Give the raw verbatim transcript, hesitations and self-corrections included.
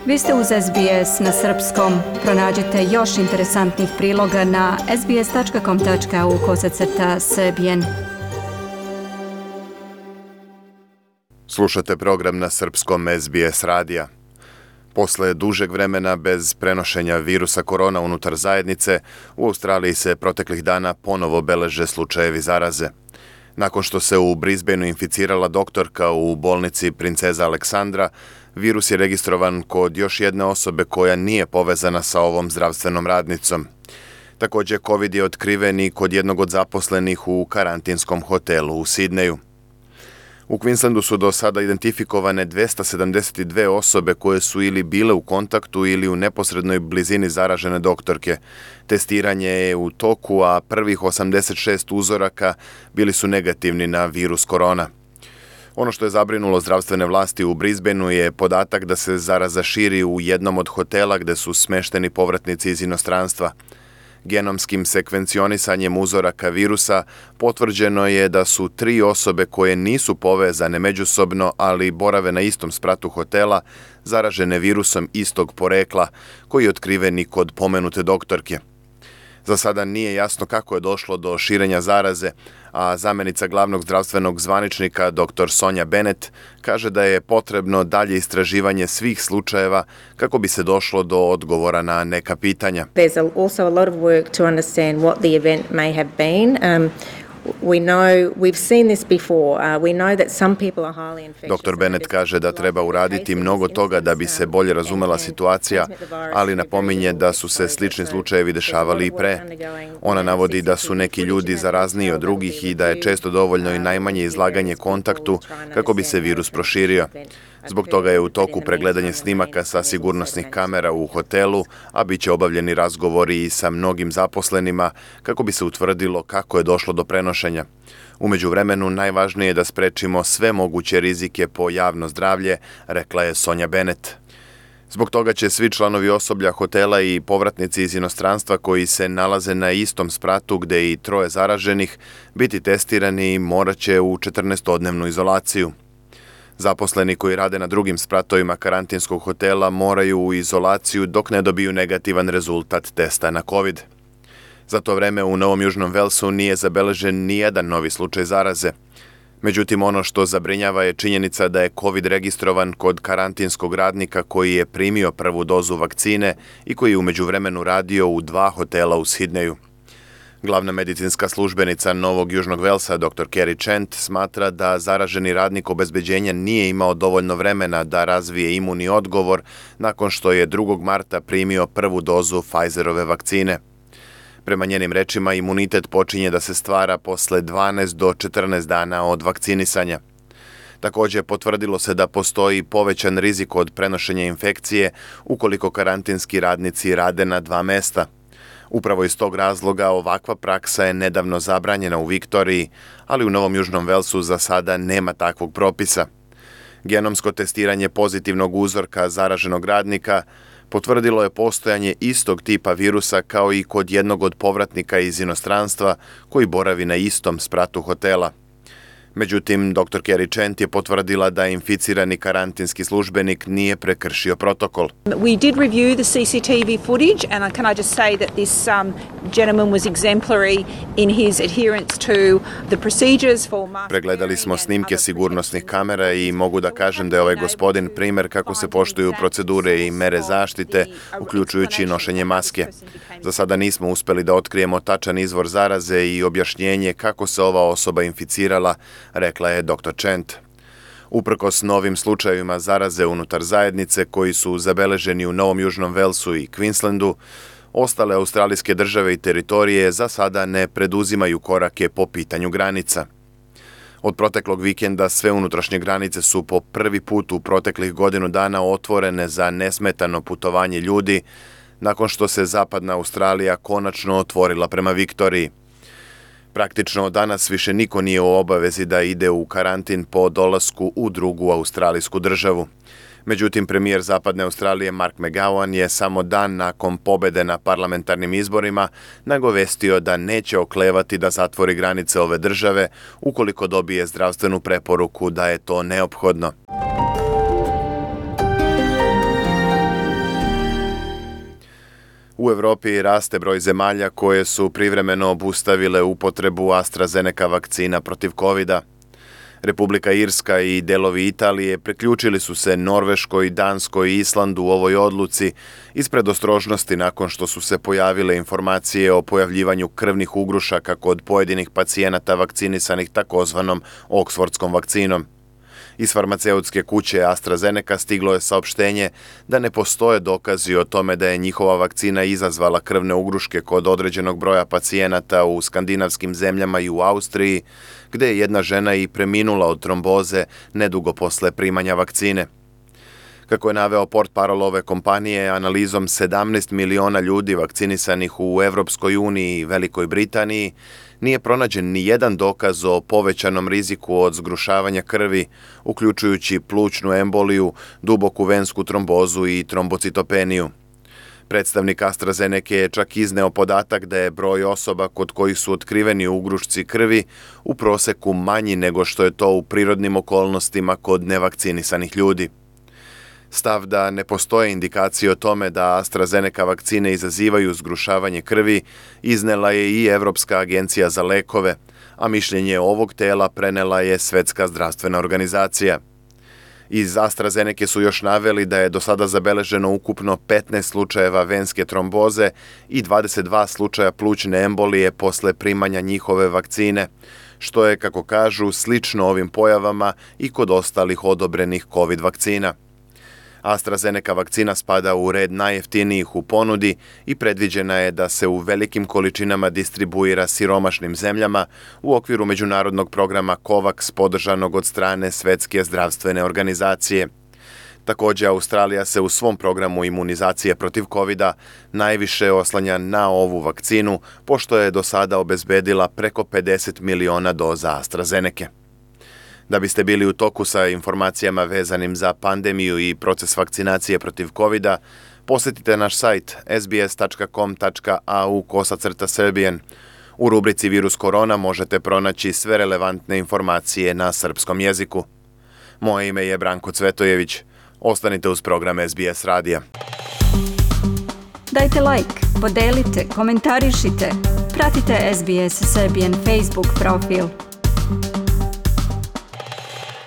Vi ste uz S B S na srpskom. Pronađite još interesantnih priloga na sbs.com.au kosacrta srbijen. Slušate program na srpskom S B S radija. Posle dužeg vremena bez prenošenja virusa korona unutar zajednice, u Australiji se proteklih dana ponovo beleže slučajevi zaraze. Nakon što se u Brisbaneu inficirala doktorka u bolnici Princeza Aleksandra, virus je registrovan kod još jedne osobe koja nije povezana sa ovom zdravstvenom radnicom. Također, COVID je otkriven i kod jednog od zaposlenih u karantinskom hotelu u Sidneju. U Queenslandu su do sada identifikovane dvesta sedamdeset dve osobe koje su ili bile u kontaktu ili u neposrednoj blizini zaražene doktorke. Testiranje je u toku, a prvih osamdeset šest uzoraka bili su negativni na virus korona. Ono što je zabrinulo zdravstvene vlasti u Brisbaneu je podatak da se zaraza širi u jednom od hotela gde su smešteni povratnici iz inostranstva. Genomskim sekvencionisanjem uzoraka virusa potvrđeno je da su tri osobe koje nisu povezane međusobno, ali borave na istom spratu hotela, zaražene virusom istog porekla, koji je otkriven i kod pomenute doktorke. Za sada nije jasno kako je došlo do širenja zaraze, a zamenica glavnog zdravstvenog zvaničnika dr. Sonja Bennett kaže da je potrebno dalje istraživanje svih slučajeva kako bi se došlo do odgovora na neka pitanja. There's also a lot of work to understand what the event may have been. Um, We know, we've seen this before. Uh, we know that some people are highly infectious. doktor Bennett kaže da treba uraditi mnogo toga da bi se bolje razumela situacija, ali napominje da su se slični slučajevi dešavali i pre. Ona navodi da su neki ljudi zarazniji od drugih i da je često dovoljno i najmanje izlaganje kontaktu kako bi se virus proširio. Zbog toga je u toku pregledanje snimaka sa sigurnosnih kamera u hotelu, a bit će obavljeni razgovori i sa mnogim zaposlenima kako bi se utvrdilo kako je došlo do prenošenja. U međuvremenu najvažnije je da sprečimo sve moguće rizike po javno zdravlje, rekla je Sonja Bennett. Zbog toga će svi članovi osoblja hotela i povratnici iz inostranstva koji se nalaze na istom spratu gde i troje zaraženih biti testirani i morat će u četrnaestodnevnu izolaciju. Zaposleni koji rade na drugim spratovima karantinskog hotela moraju u izolaciju dok ne dobiju negativan rezultat testa na COVID. Za to vreme u Novom Južnom Velsu nije zabeležen ni jedan novi slučaj zaraze. Međutim, ono što zabrinjava je činjenica da je COVID registrovan kod karantinskog radnika koji je primio prvu dozu vakcine i koji je u međuvremenu radio u dva hotela u Sidneju. Glavna medicinska službenica Novog Južnog Velsa, dr. Kerry Chant, smatra da zaraženi radnik obezbeđenja nije imao dovoljno vremena da razvije imunni odgovor nakon što je drugog marta primio prvu dozu Pfizerove vakcine. Prema njenim rečima, imunitet počinje da se stvara posle dvanaest do četrnaest dana od vakcinisanja. Također, potvrdilo se da postoji povećan rizik od prenošenja infekcije ukoliko karantinski radnici rade na dva mesta. Upravo iz tog razloga ovakva praksa je nedavno zabranjena u Viktoriji, ali u Novom Južnom Velsu za sada nema takvog propisa. Genomsko testiranje pozitivnog uzorka zaraženog radnika potvrdilo je postojanje istog tipa virusa kao i kod jednog od povratnika iz inostranstva koji boravi na istom spratu hotela. Međutim, dr. Kerry Chant je potvrdila da inficirani karantinski službenik nije prekršio protokol. We did review the C C T V footage and can I just say that this um, gentleman was exemplary in his adherence to the procedures for mask. Pregledali smo snimke sigurnosnih kamera i mogu da kažem da je ovaj gospodin primer kako se poštuju procedure i mere zaštite, uključujući nošenje maske. Za sada nismo uspeli da otkrijemo tačan izvor zaraze i objašnjenje kako se ova osoba inficirala, rekla je dr. Chant. Uprkos novim slučajevima zaraze unutar zajednice koji su zabeleženi u Novom Južnom Velsu i Queenslandu, ostale australijske države i teritorije za sada ne preduzimaju korake po pitanju granica. Od proteklog vikenda sve unutrašnje granice su po prvi put u proteklih godinu dana otvorene za nesmetano putovanje ljudi, nakon što se zapadna Australija konačno otvorila prema Viktoriji. Praktično danas više niko nije u obavezi da ide u karantin po dolasku u drugu australijsku državu. Međutim, premijer Zapadne Australije Mark McGowan je samo dan nakon pobede na parlamentarnim izborima nagovestio da neće oklevati da zatvori granice ove države ukoliko dobije zdravstvenu preporuku da je to neophodno. U Evropi raste broj zemalja koje su privremeno obustavile upotrebu AstraZeneca vakcina protiv kovida. Republika Irska i delovi Italije priključili su se Norveškoj, Danskoj i Islandu u ovoj odluci iz predostrožnosti nakon što su se pojavile informacije o pojavljivanju krvnih ugrušaka kod pojedinih pacijenata vakcinisanih takozvanom Oksfordskom vakcinom. Iz farmaceutske kuće AstraZeneca stiglo je saopštenje da ne postoje dokazi o tome da je njihova vakcina izazvala krvne ugruške kod određenog broja pacijenata u skandinavskim zemljama i u Austriji, gde je jedna žena i preminula od tromboze nedugo posle primanja vakcine. Kako je naveo portparol ove kompanije, analizom sedamnaest miliona ljudi vakcinisanih u Evropskoj uniji i Velikoj Britaniji, nije pronađen ni jedan dokaz o povećanom riziku od zgrušavanja krvi, uključujući plućnu emboliju, duboku vensku trombozu i trombocitopeniju. Predstavnik AstraZeneca je čak izneo podatak da je broj osoba kod kojih su otkriveni ugrušci krvi u proseku manji nego što je to u prirodnim okolnostima kod nevakcinisanih ljudi. Stav da ne postoje indikacije o tome da AstraZeneca vakcine izazivaju zgrušavanje krvi iznela je i Evropska agencija za lekove, a mišljenje ovog tela prenela je Svetska zdravstvena organizacija. Iz AstraZeneca su još naveli da je do sada zabeleženo ukupno petnaest slučajeva venske tromboze i dvadeset dva slučaja plućne embolije posle primanja njihove vakcine, što je, kako kažu, slično ovim pojavama i kod ostalih odobrenih COVID vakcina. AstraZeneca vakcina spada u red najjeftinijih u ponudi i predviđena je da se u velikim količinama distribuira siromašnim zemljama u okviru međunarodnog programa COVAX podržanog od strane Svetske zdravstvene organizacije. Također, Australija se u svom programu imunizacije protiv kovida najviše oslanja na ovu vakcinu, pošto je do sada obezbedila preko pedeset miliona doza AstraZeneca. Da biste bili u toku sa informacijama vezanim za pandemiju i proces vakcinacije protiv kovida, posjetite naš sajt s b s tačka com tačka a u kosacrta Serbian. U rubrici Virus korona možete pronaći sve relevantne informacije na srpskom jeziku. Moje ime je Branko Cvetojević. Ostanite uz program S B S radija. Dajte like, podelite, komentarišite. Pratite S B S Serbian Facebook profil.